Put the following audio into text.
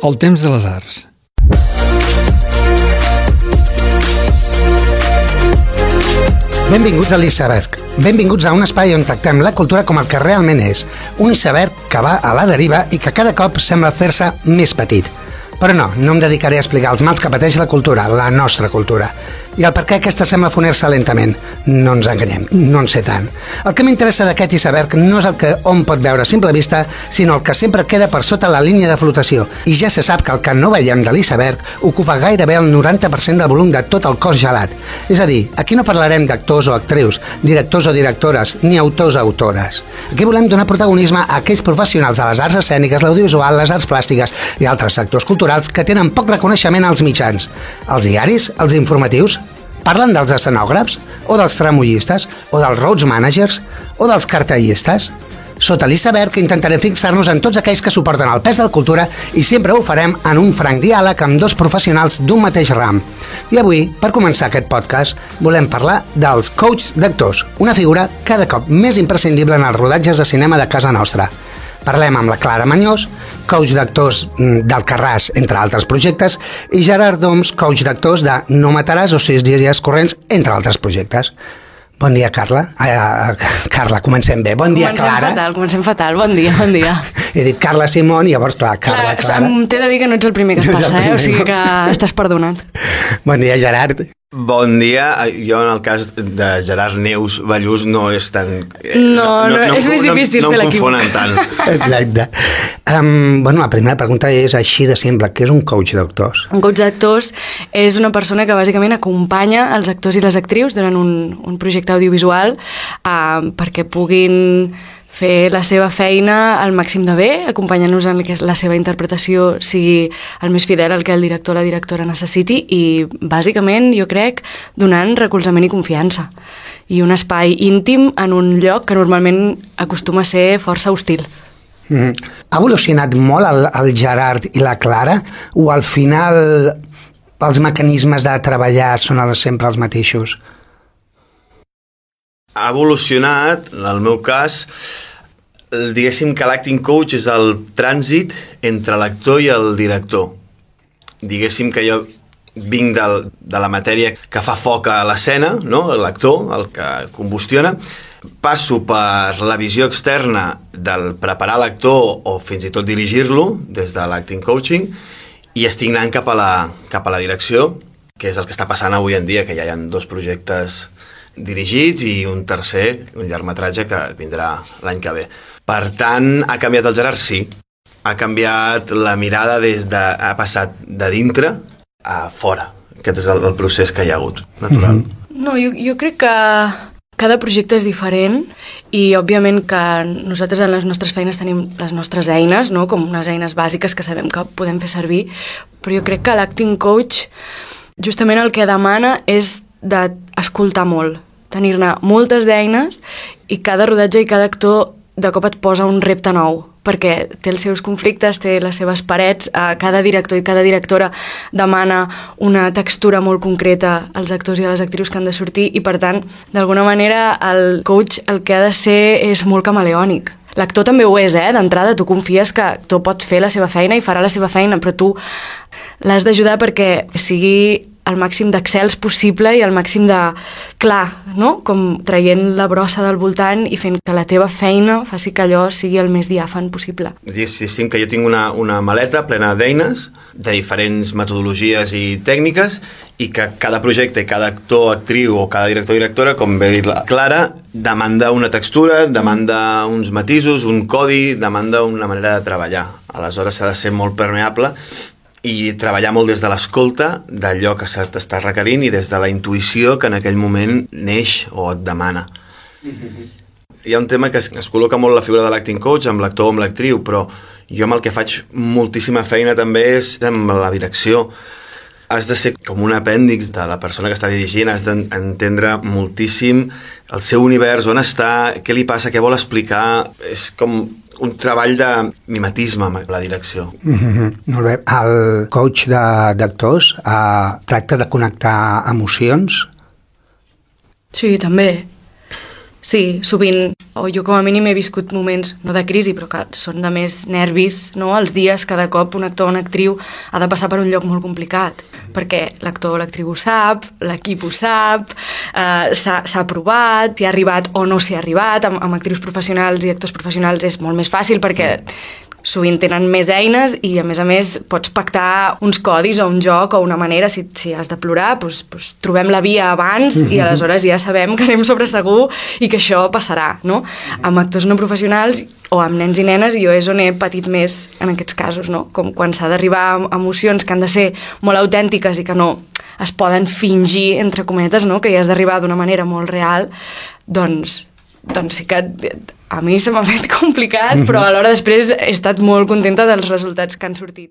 El temps de les arts. Benvinguts a l'Iceberg. Benvinguts a un espai on tractem la cultura com el que realment és. Un iceberg que va a la deriva i que cada cop sembla fer-se més petit. Però no em dedicaré a explicar els mals que pateix la cultura, la nostra cultura. I el per què aquesta sembla fonir-se lentament. No ens enganyem, no en sé tant. El que m'interessa d'aquest iceberg no és el que hom pot veure a simple vista, sinó el que sempre queda per sota la línia de flotació. I ja se sap que el que no veiem de l'iceberg ocupa gairebé el 90% del volum de tot el cos gelat. És a dir, aquí no parlarem d'actors o actrius, directors o directores, ni autors o autores. Aquí volem donar protagonisme a aquells professionals de les arts escèniques, l'audiovisual, les arts plàstiques i altres sectors culturals que tenen poc reconeixement als mitjans. Els diaris, els informatius, parlen dels escenògrafs, o dels tramollistes, o dels road managers, o dels cartellistes. Sota l'iceberg intentarem fixar-nos en tots aquells que suporten el pes de la cultura i sempre ho farem en un franc diàleg amb dos professionals d'un mateix ram. I avui, per començar aquest podcast, volem parlar dels coaches d'actors, una figura cada cop més imprescindible en els rodatges de cinema de casa nostra. Parlem amb la Clara Mañós, coach d'actors d'Alcarràs, entre altres projectes, i Gerard Doms, coach d'actors de No mataràs o 6 dies corrents, entre altres projectes. Bon dia, Carla. Carla, comencem bé. Bon dia, Clara. Comencem fatal. Bon dia. He dit Carla Simón i llavors, clar, Clara. T'he de dir que no ets el primer que et passa, o sigui que estàs perdonat. Bon dia, Gerard. Bon dia. Jo, en el cas de Gerard Neus Ballús, no és tan... No, és més difícil fer l'equip. No em confonen tant. Exacte. La primera pregunta és així de simple. Què és un coach d'actors? Un coach d'actors és una persona que bàsicament acompanya els actors i les actrius durant un projecte audiovisual perquè puguin fer la seva feina al màxim de bé, acompanyant-nos en que la seva interpretació sigui el més fidel al que el director o la directora necessiti i, bàsicament, jo crec, donant recolzament i confiança. I un espai íntim en un lloc que normalment acostuma a ser força hostil. Ha evolucionat molt el Gerard i la Clara o al final els mecanismes de treballar són sempre els mateixos? Ha evolucionat, en el meu cas, diguéssim que l'acting coach és el trànsit entre l'actor i el director. Diguéssim que jo vinc de la matèria que fa foc a l'escena, no? L'actor, el que combustiona, passo per la visió externa del preparar l'actor o fins i tot dirigir-lo des de l'acting coaching i estic anant cap a la direcció, que és el que està passant avui en dia, que ja hi ha 2 projectes dirigits i un tercer, un llargmetratge que vindrà l'any que ve. Per tant, ha canviat el Gerard? Sí. Ha canviat la mirada ha passat de dintre a fora. Aquest és el procés que hi ha hagut, natural. No, jo crec que cada projecte és diferent i, òbviament, que nosaltres en les nostres feines tenim les nostres eines, no? Com unes eines bàsiques que sabem que podem fer servir, però jo crec que l'acting coach justament el que demana és d'escoltar molt, tenir-ne moltes d'eines i cada rodatge i cada actor de cop et posa un repte nou, perquè té els seus conflictes, té les seves parets, cada director i cada directora demana una textura molt concreta als actors i a les actrius que han de sortir i, per tant, d'alguna manera el coach el que ha de ser és molt camaleònic. L'actor també ho és, d'entrada tu confies que l'actor pot fer la seva feina i farà la seva feina, però tu l'has d'ajudar perquè sigui el màxim d'accels possible i el màxim de clar, no? Com traient la brossa del voltant i fent que la teva feina faci que allò sigui el més diàfan possible. Diguéssim que jo tinc una maleta plena d'eines, de diferents metodologies i tècniques, i que cada projecte, cada actor, actriu o cada director o directora, com bé dit la Clara, demanda una textura, demanda uns matisos, un codi, demanda una manera de treballar. Aleshores s'ha de ser molt permeable i treballar molt des de l'escolta d'allò que se t'està requerint i des de la intuïció que en aquell moment neix o et demana. Hi ha un tema que es col·loca molt la figura de l'acting coach amb l'actor o amb l'actriu, però jo amb el que faig moltíssima feina també és amb la direcció. Has de ser com un apèndix de la persona que està dirigint, has d'entendre moltíssim el seu univers, on està, què li passa, què vol explicar. És com un treball de mimetisme amb la direcció. Molt bé. El coach d'actors tracta de connectar emocions? Sí, també. Sí, sovint, o jo com a mínim he viscut moments, no de crisi, però que són de més nervis, no? Els dies, cada cop un actor o una actriu ha de passar per un lloc molt complicat, perquè l'actor o l'actriu ho sap, l'equip ho sap, s'ha provat, s'hi ha arribat o no s'hi ha arribat, amb actrius professionals i actors professionals és molt més fàcil perquè sovint tenen més eines i a més pots pactar uns codis o un joc o una manera, si has de plorar doncs trobem la via abans i aleshores ja sabem que anem sobre segur i que això passarà, no? Amb actors no professionals o amb nens i nenes jo és on he patit més en aquests casos, no? Com quan s'ha d'arribar a emocions que han de ser molt autèntiques i que no es poden fingir, entre cometes, no? Que hi has d'arribar d'una manera molt real, doncs sí que a mi se m'ha fet complicat, però alhora després he estat molt contenta dels resultats que han sortit.